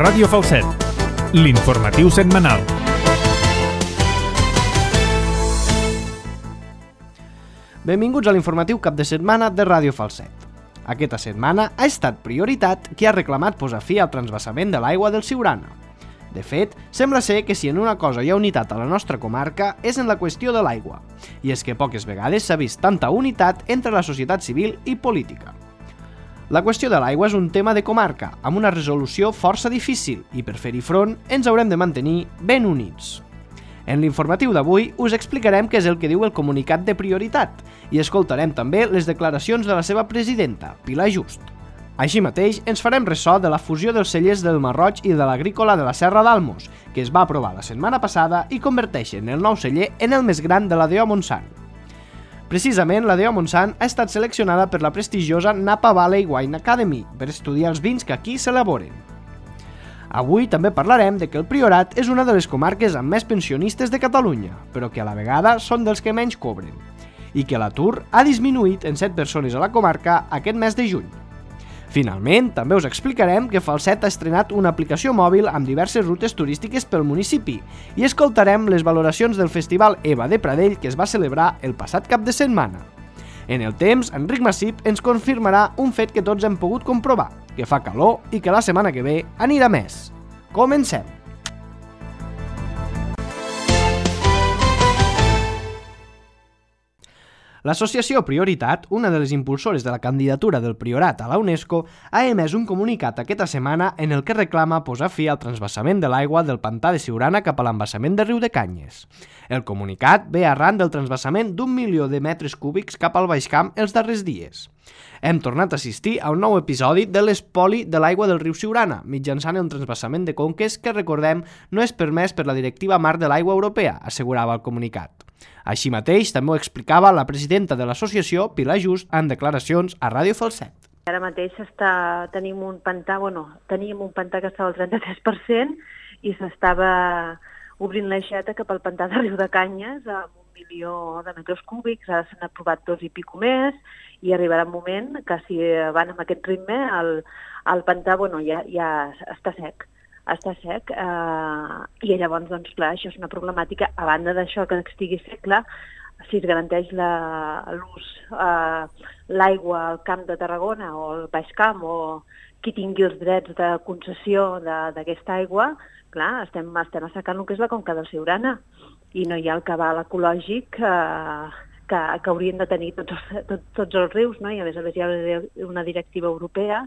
Ràdio Falset, l'informatiu setmanal. Benvinguts a l'informatiu cap de setmana de Ràdio Falset. Aquesta setmana ha estat Prioritat qui ha reclamat posar fi al transvasament de l'aigua del Siurana. De fet, sembla ser que si en una cosa hi ha unitat a la nostra comarca és en la qüestió de l'aigua, i és que poques vegades s'ha vist tanta unitat entre la societat civil i política. La qüestió de l'aigua és un tema de comarca, amb una resolució força difícil, i per fer-hi front ens haurem de mantenir ben units. En l'informatiu d'avui us explicarem què és el que diu el comunicat de Prioritat i escoltarem també les declaracions de la seva presidenta, Pilar Just. Així mateix, ens farem ressò de la fusió dels cellers del Marroig i de l'Agrícola de la Serra d'Almos, que es va aprovar la setmana passada i converteixen el nou celler en el més gran de la DO Montsant. Precisament, la DO Montsant ha estat seleccionada per la prestigiosa Napa Valley Wine Academy per estudiar els vins que aquí s'elaboren. Avui també parlarem de que el Priorat és una de les comarques amb més pensionistes de Catalunya, però que a la vegada són dels que menys cobren, i que l'atur ha disminuït en 7 persones a la comarca aquest mes de juny. Finalment, també us explicarem que Falset ha estrenat una aplicació mòbil amb diverses rutes turístiques pel municipi i escoltarem les valoracions del Festival EVA de Pradell que es va celebrar el passat cap de setmana. En el temps, Enric Massip ens confirmarà un fet que tots hem pogut comprovar, que fa calor i que la setmana que ve anirà més. Comencem! L'associació Prioritat, una de les impulsores de la candidatura del Priorat a la UNESCO, ha emès un comunicat aquesta setmana en el que reclama posar fi al transvasament de l'aigua del pantà de Siurana cap a l'embassament de Riudecanyes. El comunicat ve arran del transvasament d'1 milió de metres cúbics cap al Baix Camp els darrers dies. Hem tornat a assistir a un nou episodi de l'espoli de l'aigua del riu Siurana, mitjançant el transvasament de conques que, recordem, no és permès per la Directiva Marc de l'Aigua Europea, assegurava el comunicat. Així mateix, també ho explicava la presidenta de l'associació, Pilar Just, en declaracions a Ràdio Falset. Ara mateix teníem un pantà que estava al 33% i s'estava obrint l'aixeta cap al pantà de Riudecanyes amb 1 milió de metres cúbics, ara s'han aprovat 2 i pico més i arribarà un moment que si van amb aquest ritme el pantà ja està sec. I llavors, doncs, clar, això és una problemàtica. A banda d'això, que estigui sec, clar, si es garanteix l'ús, l'aigua al Camp de Tarragona o al Baix Camp o qui tingui els drets de concessió d'aquesta aigua, clar, estem assecant el que és la conca del Siurana i no hi ha el cabal ecològic que haurien de tenir tots els rius, no? I a més hi ha una directiva europea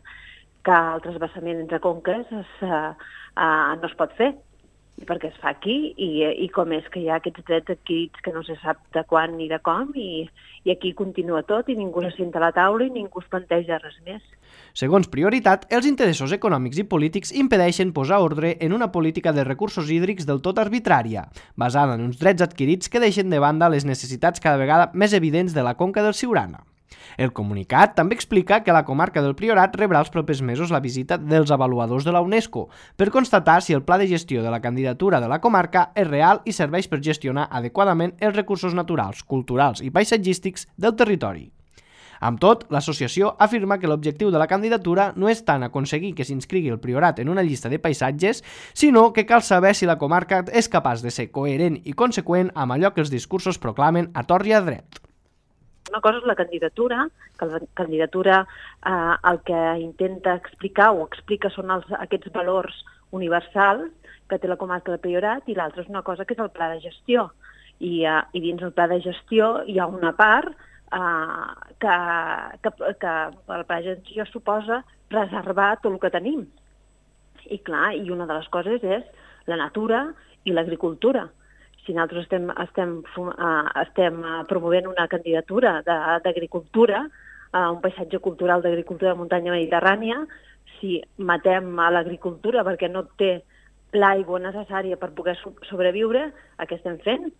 que el transvasament entre conques no es pot fer, perquè es fa aquí i com és que hi ha aquests drets adquirits que no se sap de quan ni de com i aquí continua tot i ningú se senta a la taula i ningú es planteja res més. Segons Prioritat, els interessos econòmics i polítics impedeixen posar ordre en una política de recursos hídrics del tot arbitrària, basada en uns drets adquirits que deixen de banda les necessitats cada vegada més evidents de la conca del Siurana. El comunicat també explica que la comarca del Priorat rebrà els propers mesos la visita dels avaluadors de la UNESCO per constatar si el pla de gestió de la candidatura de la comarca és real i serveix per gestionar adequadament els recursos naturals, culturals i paisatgístics del territori. Amb tot, l'associació afirma que l'objectiu de la candidatura no és tant aconseguir que s'inscrigui el Priorat en una llista de paisatges, sinó que cal saber si la comarca és capaç de ser coherent i conseqüent amb allò que els discursos proclamen a tort i a dret. Una cosa és la candidatura, que la candidatura el que intenta explicar o explica són aquests valors universals que té la comarca de Priorat i l'altra és una cosa que és el pla de gestió. I dins el pla de gestió hi ha una part que el pla de gestió suposa preservar tot el que tenim. I clar, i una de les coses és la natura i l'agricultura. Si nosaltres estem promovent una candidatura d'agricultura, un paisatge cultural d'agricultura de muntanya mediterrània, si matem a l'agricultura perquè no té l'aigua necessària per poder sobreviure, què estem fent?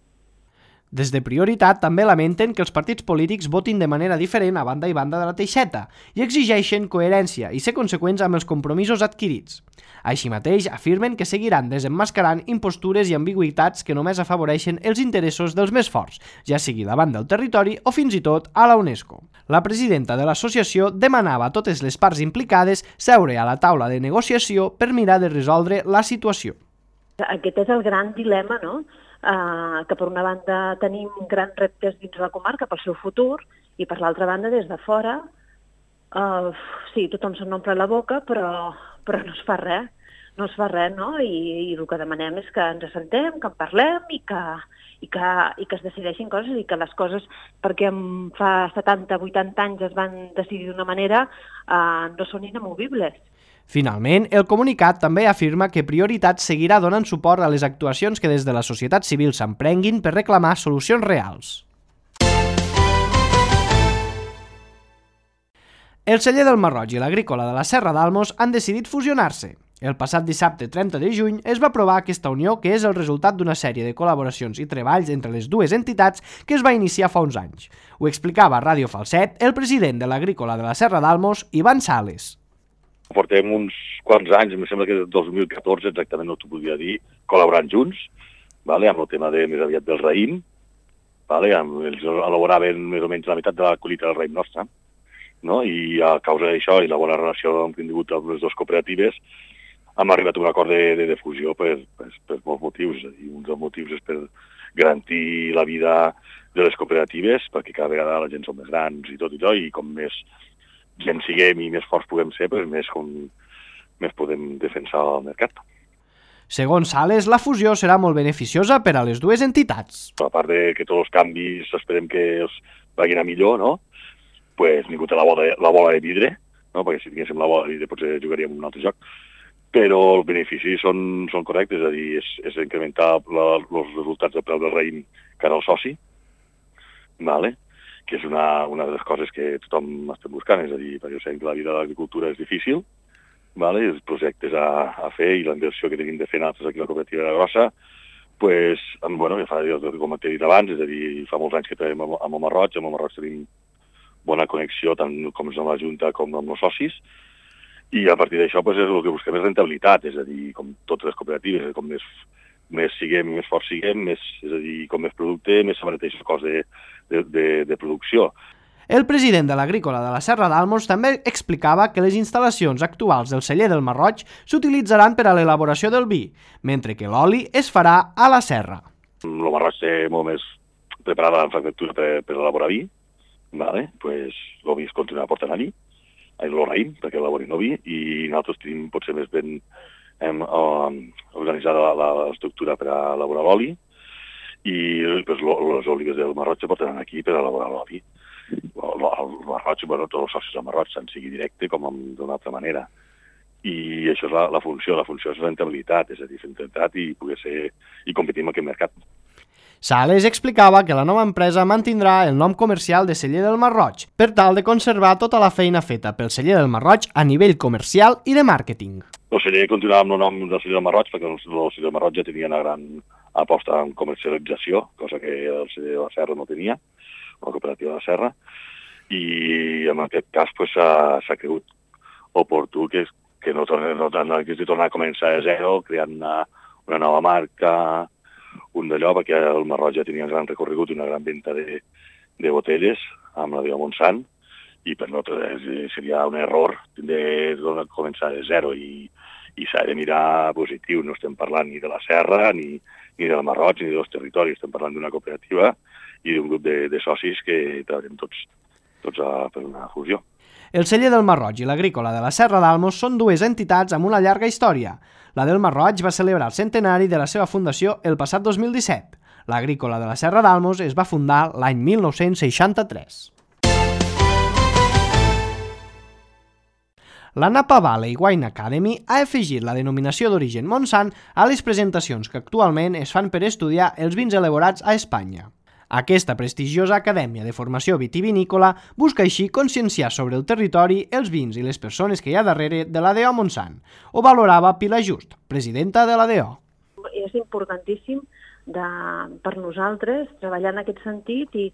Des de Prioritat també lamenten que els partits polítics votin de manera diferent a banda i banda de la teixeta i exigeixen coherència i ser conseqüents amb els compromisos adquirits. Així mateix, afirmen que seguiran desemmascarant impostures i ambigüitats que només afavoreixen els interessos dels més forts, ja sigui davant del territori o fins i tot a la UNESCO. La presidenta de l'associació demanava a totes les parts implicades seure a la taula de negociació per mirar de resoldre la situació. Aquest és el gran dilema, no?, que per una banda tenim grans reptes dins la comarca pel seu futur i per l'altra banda des de fora sí, tothom se n'omple la boca però no es fa res, no? I el que demanem és que ens assentem, que en parlem i que es decideixin coses i que les coses, perquè fa 70-80 anys es van decidir d'una manera, no són inamovibles. Finalment, el comunicat també afirma que Prioritat seguirà donant suport a les actuacions que des de la societat civil s'emprenguin per reclamar solucions reals. El celler del Marroig i l'agrícola de la Serra d'Almos han decidit fusionar-se. El passat dissabte 30 de juny es va aprovar aquesta unió que és el resultat d'una sèrie de col·laboracions i treballs entre les dues entitats que es va iniciar fa uns anys. Ho explicava a Ràdio Falset el president de l'agrícola de la Serra d'Almos, Ivan Sales. Portem uns quants anys, em sembla que del 2014 exactament no t'ho podria dir, col·laborant junts, amb el tema més aviat del raïm. Ells elaboraven més o menys la meitat de la collita del raïm nostre, i a causa d'això i la bona relació que hem tingut amb les dues cooperatives hem arribat a un acord de fusió per molts motius. Un dels motius és per garantir la vida de les cooperatives, perquè cada vegada la gent som més grans i tot i com més gent siguem i més forts puguem ser, més podem defensar el mercat. Segons Sales, la fusió serà molt beneficiosa per a les dues entitats. A part de que tots els canvis esperem que els vagin a millor, ningú té la bola de vidre, perquè si tinguéssim la bola de vidre potser jugaríem un altre joc, però els beneficis són correctes, és a dir, és incrementar els resultats del preu del raïm cara al soci, que és una de les coses que tothom estem buscant, és a dir, perquè sabem que la vida de l'agricultura és difícil, els projectes a fer i la inversió que tenim de fer nosaltres aquí a la cooperativa de la Grossa, com t'he dit abans, és a dir, fa molts anys que treballem amb el Marroig tenim bona connexió tant com amb la Junta com amb els socis, i a partir d'això és el que busquem és rentabilitat, és a dir, com totes les cooperatives, com més siguem i més forts siguem, és a dir, com més producte, més s'abarateix el cost de producció. El president de l'agrícola de la Serra d'Almos també explicava que les instal·lacions actuals del celler del Marroig s'utilitzaran per a l'elaboració del vi, mentre que l'oli es farà a la serra. El Marroig té molt més preparada la infraestructura per elaborar vi, el vi es continua portant allí, el raïm, perquè elaborin el vi, i nosaltres tenim potser més ben organitzada l'estructura per a elaborar l'oli, i les olives del Marroig se portaran aquí per a elaborar l'oli. El Marroig, tots els socis del Marroig, tant sigui directe com d'una altra manera. I això és la funció és rentabilitat, és a dir, rentabilitat i competir en aquest mercat. Sales explicava que la nova empresa mantindrà el nom comercial de Celler del Marroig per tal de conservar tota la feina feta pel Celler del Marroig a nivell comercial i de màrqueting. El celler continuava amb el nom del Celler del Marroig perquè el Celler del Marroig ja tenia una gran aposta en comercialització, cosa que el Celler de la Serra no tenia, la cooperativa de la Serra, i en aquest cas s'ha cregut oportú que no hagués de tornar a començar de zero, creant una nova marca, un d'allò, perquè el Marroig ja tenia un gran recorregut i una gran venda de botelles amb la Deo Montsant, i per nosaltres seria un error de començar de zero i s'ha de mirar positiu. No estem parlant ni de la Serra, ni del Marroig, ni dels territoris. Estem parlant d'una cooperativa i d'un grup de socis que treballen tots per una fusió. El Celler del Marroig i l'Agrícola de la Serra d'Almos són dues entitats amb una llarga història. La del Marroig va celebrar el centenari de la seva fundació el passat 2017. L'Agrícola de la Serra d'Almos es va fundar l'any 1963. La Napa Valley Wine Academy ha afegit la denominació d'origen Montsant a les presentacions que actualment es fan per estudiar els vins elaborats a Espanya. Aquesta prestigiosa acadèmia de formació vitivinícola busca així conscienciar sobre el territori, els vins i les persones que hi ha darrere de la DO Montsant. Ho valorava Pilar Just, presidenta de la DO. És importantíssim per nosaltres, treballar en aquest sentit i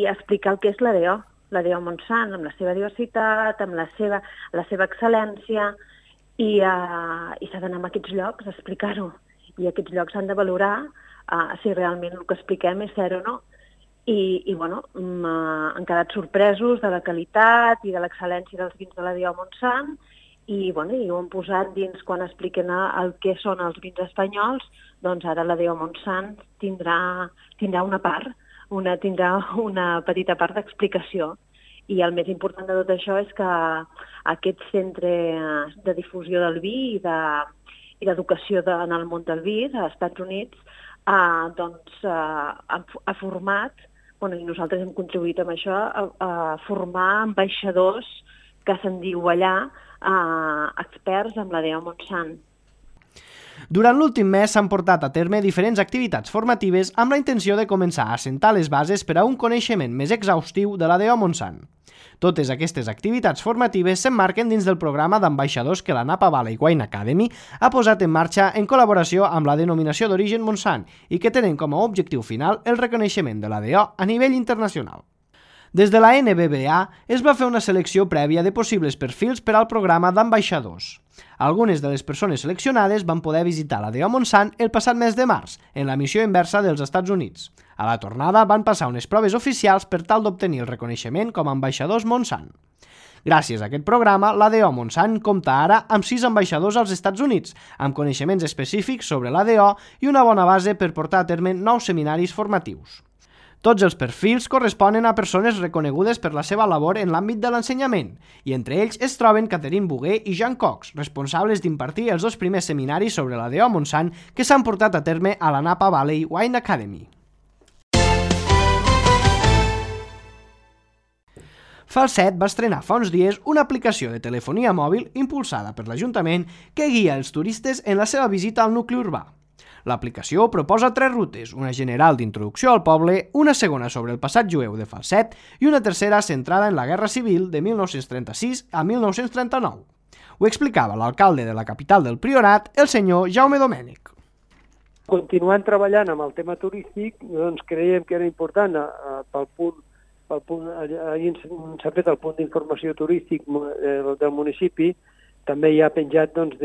explicar el que és l'ADO Montsant, amb la seva diversitat, amb la seva excel·lència, i s'ha d'anar a aquests llocs a explicar-ho. I aquests llocs s'han de valorar si realment el que expliquem és cert o no. I bueno, han quedat sorpresos de la qualitat i de l'excel·lència dels vins de l'ADO Montsant, i ho han posat dins quan expliquen el que són els vins espanyols. Doncs ara l'ADO Montsant tindrà una part, tindrà una petita part d'explicació. I el més important de tot això és que aquest centre de difusió del vi i d'educació en el món del vi als Estats Units ha format, i nosaltres hem contribuït amb això, a formar ambaixadors, que se'n diu allà, experts amb l'ADO Montsant. Durant l'últim mes s'han portat a terme diferents activitats formatives amb la intenció de començar a assentar les bases per a un coneixement més exhaustiu de l'ADO Montsant. Totes aquestes activitats formatives s'emmarquen dins del programa d'ambaixadors que la Napa Valley Wine Academy ha posat en marxa en col·laboració amb la denominació d'origen Montsant i que tenen com a objectiu final el reconeixement de l'ADO a nivell internacional. Des de la NBBA es va fer una selecció prèvia de possibles perfils per al programa d'ambaixadors. Algunes de les persones seleccionades van poder visitar l'ADO Montsant el passat mes de març, en la missió inversa dels Estats Units. A la tornada van passar unes proves oficials per tal d'obtenir el reconeixement com a ambaixadors Montsant. Gràcies a aquest programa, l'ADO Montsant compta ara amb 6 ambaixadors als Estats Units, amb coneixements específics sobre l'ADO i una bona base per portar a terme nous seminaris formatius. Tots els perfils corresponen a persones reconegudes per la seva labor en l'àmbit de l'ensenyament, i entre ells es troben Catherine Boguer i Jean Cox, responsables d'impartir els 2 primers seminaris sobre l'ADO Montsant que s'han portat a terme a la Napa Valley Wine Academy. Falset va estrenar fa uns dies una aplicació de telefonia mòbil impulsada per l'Ajuntament que guia els turistes en la seva visita al nucli urbà. L'aplicació proposa 3 rutes, una general d'introducció al poble, una segona sobre el passat jueu de Falset i una tercera centrada en la Guerra Civil de 1936 a 1939. Ho explicava l'alcalde de la capital del Priorat, el senyor Jaume Domènech. Continuant treballant amb el tema turístic, doncs creiem que era important ahir s'ha fet el punt d'informació turístic del municipi, també hi ha penjat doncs,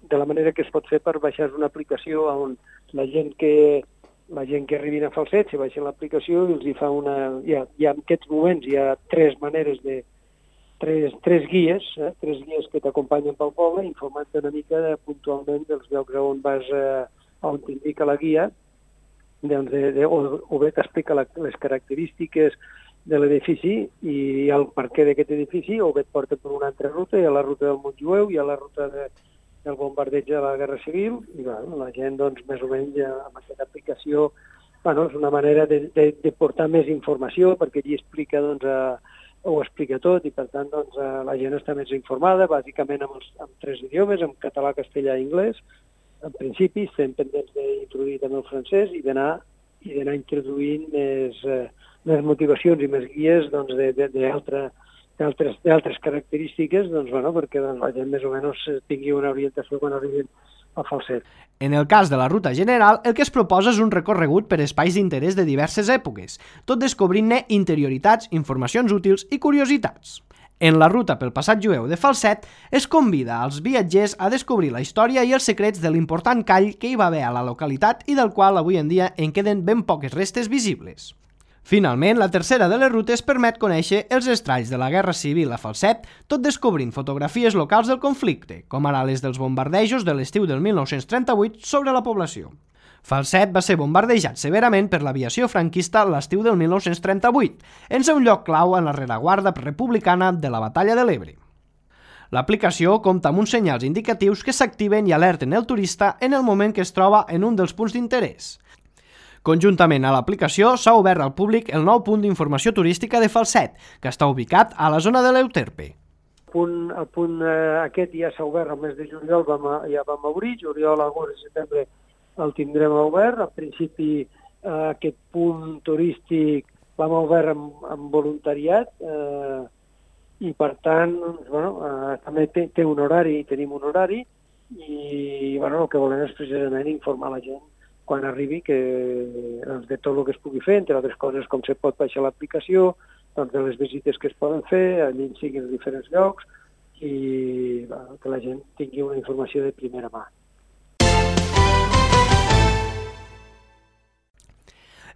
de la manera que es pot fer per baixar una aplicació on la gent que arribin a Falset se baixen l'aplicació i els hi fa en aquests moments hi ha 3 maneres tres guies que t'acompanyen pel poble, informant una mica puntualment dels llocs on vas, on t'indica la guia, o bé t'explica les característiques de l'edifici i el perquè d'aquest edifici, o bé et porta per una altra ruta, hi ha la ruta del Montjueu, hi ha la ruta del bombardeig de la Guerra Civil, i la gent, doncs, més o menys, amb aquesta aplicació, és una manera de portar més informació, perquè allí explica, ho explica tot, i per tant, doncs, la gent està més informada, bàsicament amb 3 idiomes, en català, castellà i anglès. En principi, estem pendents d'introduir també el francès i d'anar introduint més motivacions i més guies d'altres característiques, perquè la gent més o menys tingui una orientació quan arribin a Falset. En el cas de la ruta general, el que es proposa és un recorregut per espais d'interès de diverses èpoques, tot descobrint-ne interioritats, informacions útils i curiositats. En la ruta pel passat jueu de Falset es convida als viatgers a descobrir la història i els secrets de l'important call que hi va haver a la localitat i del qual avui en dia en queden ben poques restes visibles. Finalment, la tercera de les rutes permet conèixer els estralls de la Guerra Civil a Falset, tot descobrint fotografies locals del conflicte, com ara les dels bombardejos de l'estiu del 1938 sobre la població. Falset va ser bombardejat severament per l'aviació franquista l'estiu del 1938, en ser un lloc clau en la rereguarda republicana de la Batalla de l'Ebre. L'aplicació compta amb uns senyals indicatius que s'activen i alerten el turista en el moment que es troba en un dels punts d'interès. Conjuntament a l'aplicació s'ha obert al públic el nou punt d'informació turística de Falset, que està ubicat a la zona de l'Euterpe. El punt aquest ja s'ha obert el mes de juliol, ja vam obrir, juliol, agost i setembre el tindrem obert. Al principi aquest punt turístic l'hem obert amb voluntariat i per tant també té un horari, tenim un horari i el que volem és precisament informar la gent quan arribi, que de tot el que es pugui fer, entre altres coses com se pot baixar l'aplicació, doncs de les visites que es poden fer, allí siguin els diferents llocs, i que la gent tingui una informació de primera mà.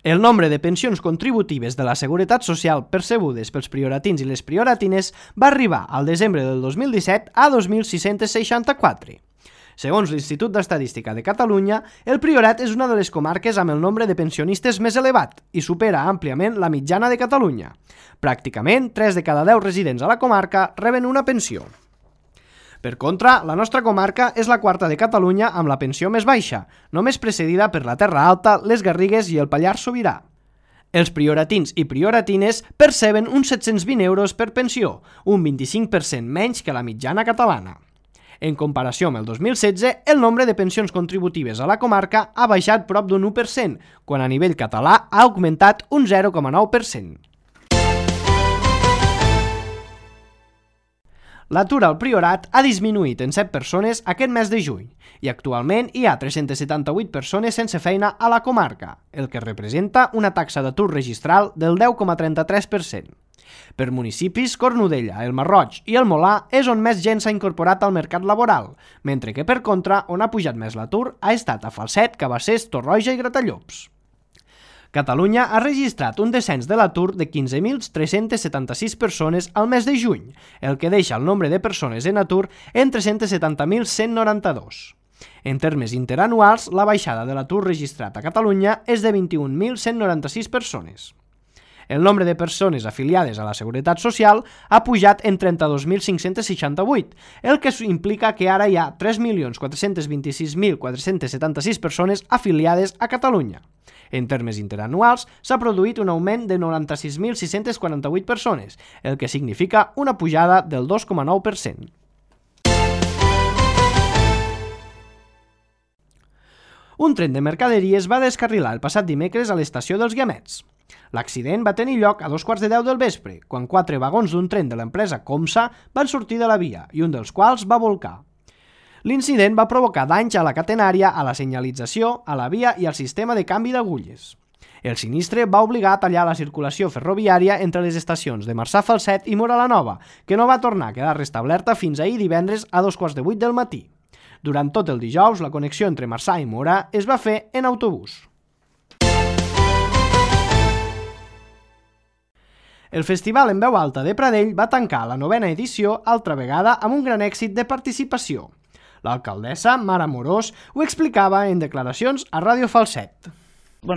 El nombre de pensions contributives de la Seguretat Social percebudes pels prioratins i les prioratines va arribar al desembre del 2017 a 2.664. Segons l'Institut d'Estadística de Catalunya, el Priorat és una de les comarques amb el nombre de pensionistes més elevat i supera àmpliament la mitjana de Catalunya. Pràcticament 3 de cada 10 residents a la comarca reben una pensió. Per contra, la nostra comarca és la quarta de Catalunya amb la pensió més baixa, només precedida per la Terra Alta, les Garrigues i el Pallars Sobirà. Els prioratins i prioratines perceben uns 720 euros per pensió, un 25% menys que la mitjana catalana. En comparació amb el 2016, el nombre de pensions contributives a la comarca ha baixat prop d'un 1%, quan a nivell català ha augmentat un 0,9%. L'atur al Priorat ha disminuït en 7 persones aquest mes de juny i actualment hi ha 378 persones sense feina a la comarca, el que representa una taxa d'atur registral del 10,33%. Per municipis, Cornudella, el Marroig i el Molà és on més gent s'ha incorporat al mercat laboral, mentre que per contra, on ha pujat més l'atur ha estat a Falset, Cabassers, Torroja i Gratallops. Catalunya ha registrat un descens de l'atur de 15.376 persones al mes de juny, el que deixa el nombre de persones en atur en 370.192. En termes interanuals, la baixada de l'atur registrat a Catalunya és de 21.196 persones. El nombre de persones afiliades a la Seguretat Social ha pujat en 32.568, el que implica que ara hi ha 3.426.476 persones afiliades a Catalunya. En termes interanuals, s'ha produït un augment de 96.648 persones, el que significa una pujada del 2,9%. Un tren de mercaderies va descarrilar el passat dimecres a l'estació dels Guiamets. L'accident va tenir lloc a 2:15 del vespre, quan 4 vagons d'un tren de l'empresa Comsa van sortir de la via i un dels quals va volcar. L'incident va provocar danys a la catenària, a la senyalització, a la via i al sistema de canvi d'agulles. El sinistre va obligar a tallar la circulació ferroviària entre les estacions de Marçà Falset i Móra la Nova, que no va tornar a quedar restablerta fins ahir divendres a 2:08 del matí. Durant tot el dijous, la connexió entre Marçà i Móra es va fer en autobús. El Festival en Veu Alta de Pradell va tancar la 9ª edició altra vegada amb un gran èxit de participació. L'alcaldessa, Mara Amorós, ho explicava en declaracions a Ràdio Falset.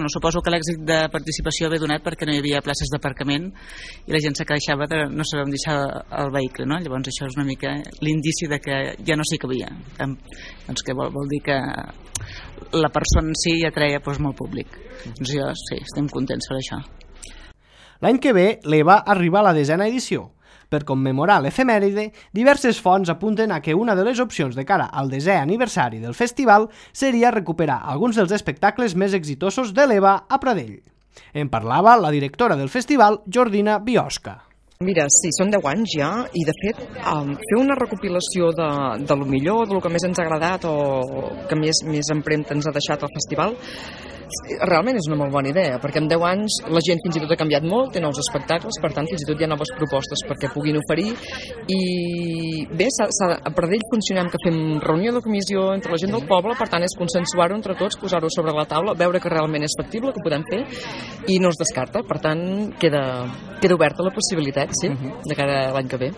Suposo que l'èxit de participació ve donat perquè no hi havia places d'aparcament i la gent se queixava de no saber on deixar el vehicle, no? Llavors això és una mica l'indici de que ja no s'hi cabia. Doncs que vol dir que la persona en si ja treia molt públic. Doncs jo sí, estem contents per això. L'any que ve l'EVA arriba a la 10ª edició. Per commemorar l'efemèride, diverses fonts apunten a que una de les opcions de cara al 10è aniversari del festival seria recuperar alguns dels espectacles més exitosos de l'EVA a Pradell. En parlava la directora del festival, Jordina Biosca. Mira, sí, són 10 anys ja i de fet fer una recopilació de lo millor, del que més ens ha agradat o que més empremta ens ha deixat el festival, realment és una molt bona idea, perquè en 10 anys la gent fins i tot ha canviat molt, té nous espectacles, per tant fins i tot hi ha noves propostes perquè puguin oferir i bé, a Pradell funcionem que fem reunió de comissió entre la gent del poble, per tant és consensuar-ho entre tots, posar-ho sobre la taula, veure que realment és factible, que ho podem fer i no es descarta, per tant queda oberta la possibilitat, sí, de cara a l'any que ve.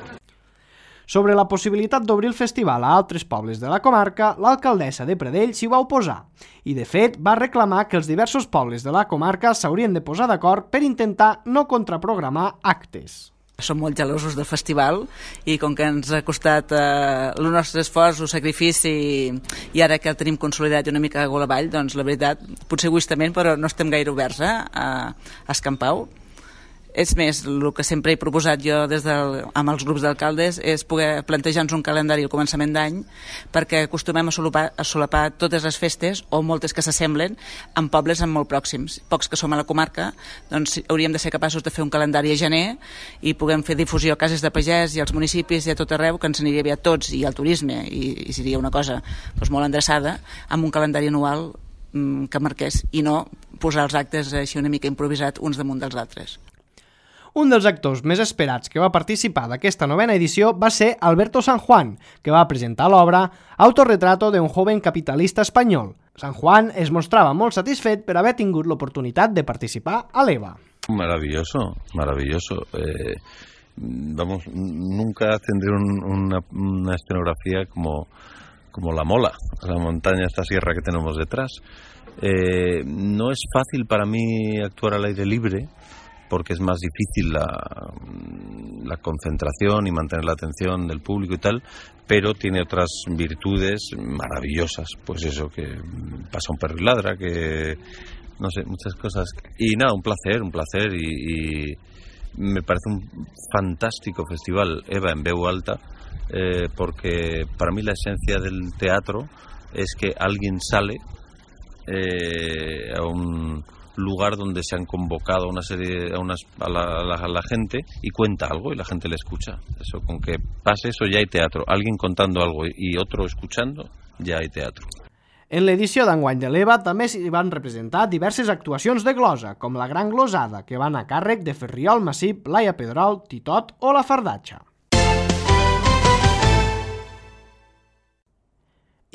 Sobre la possibilitat d'obrir el festival a altres pobles de la comarca, l'alcaldessa de Pradell s'hi va oposar i, de fet, va reclamar que els diversos pobles de la comarca s'haurien de posar d'acord per intentar no contraprogramar actes. Som molt gelosos del festival i com que ens ha costat el nostre esforç, el sacrifici i ara que el tenim consolidat i una mica a gol avall, doncs la veritat, potser egoistament, però no estem gaire oberts a escampar-ho. És més, el que sempre he proposat jo amb els grups d'alcaldes és poder plantejar-nos un calendari al començament d'any perquè acostumem a solapar totes les festes o moltes que s'assemblen en pobles molt pròxims. Pocs que som a la comarca, doncs hauríem de ser capaços de fer un calendari a gener i puguem fer difusió a cases de pagès i als municipis i a tot arreu, que ens aniria bé a tots i al turisme i seria una cosa molt endreçada amb un calendari anual que marqués, i no posar els actes així una mica improvisat uns damunt dels altres. Un dels actors més esperats que va participar d'aquesta novena edició va ser Alberto San Juan, que va presentar l'obra Autorretrato de un joven capitalista espanyol. San Juan es mostrava molt satisfet per haver tingut l'oportunitat de participar a l'EVA. Maravilloso, maravilloso. Vamos, nunca tendré una escenografía como la Mola, la montaña, esta sierra que tenemos detrás. No es fácil para mí actuar al aire libre, porque es más difícil la concentración y mantener la atención del público y tal, pero tiene otras virtudes maravillosas, pues eso, que pasa un perro y ladra, que no sé, muchas cosas. Y nada, un placer y me parece un fantástico festival EVA en veu alta, porque para mí la esencia del teatro es que alguien sale a un lugar donde se han convocado una serie a la gente y cuenta algo y la gente le escucha. Eso, con que pase eso ya hay teatro. Alguien contando algo y otro escuchando, ya hay teatro. En l'edició d'enguany de l'EVA també s'hi van representar diverses actuacions de glosa, com la Gran Glosada, que van a càrrec de Ferriol Massip, Laia Pedrol, Titot o la Fardatxa.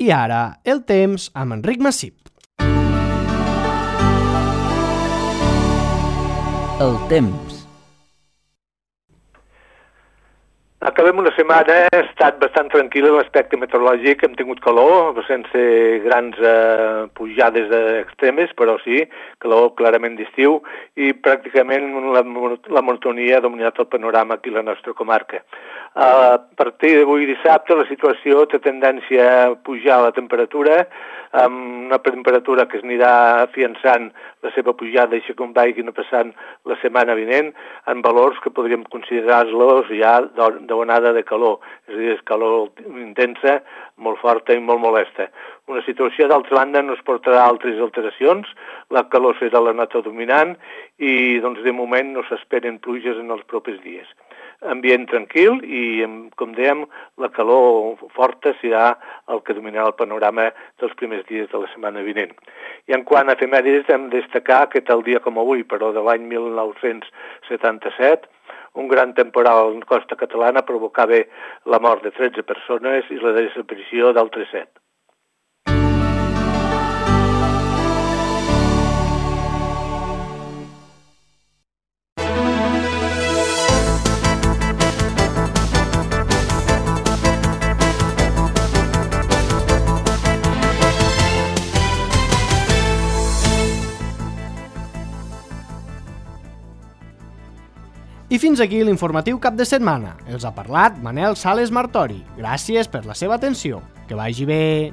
I ara, el temps amb Enric Massip. El temps. Acabem una setmana, ha estat bastant tranquil·la en l'aspecte meteorològic, hem tingut calor, sense grans pujades extremes, però sí, calor clarament d'estiu, i pràcticament la monotonia ha dominat el panorama aquí a la nostra comarca. A partir d'avui dissabte la situació té tendència a pujar la temperatura, amb una temperatura que es anirà afiançant la seva pujada i com vagi passant la setmana vinent, en valors que podríem considerar-los ja d'onada de calor, és a dir, és calor intensa, molt forta i molt molesta. Una situació, d'altra banda, no es portarà altres alteracions, la calor serà la nota dominant i, doncs, de moment no s'esperen pluges en els propers dies. Ambient tranquil i, com dèiem, la calor forta serà el que dominarà el panorama dels primers dies de la setmana vinent. I en quant a efemèrides, hem de destacar que tal dia com avui, però de l'any 1977, un gran temporal en costa catalana provocava la mort de 13 persones i la desaparició d'altres 7. I fins aquí l'informatiu cap de setmana. Els ha parlat Manel Sales Martori. Gràcies per la seva atenció. Que vagi bé.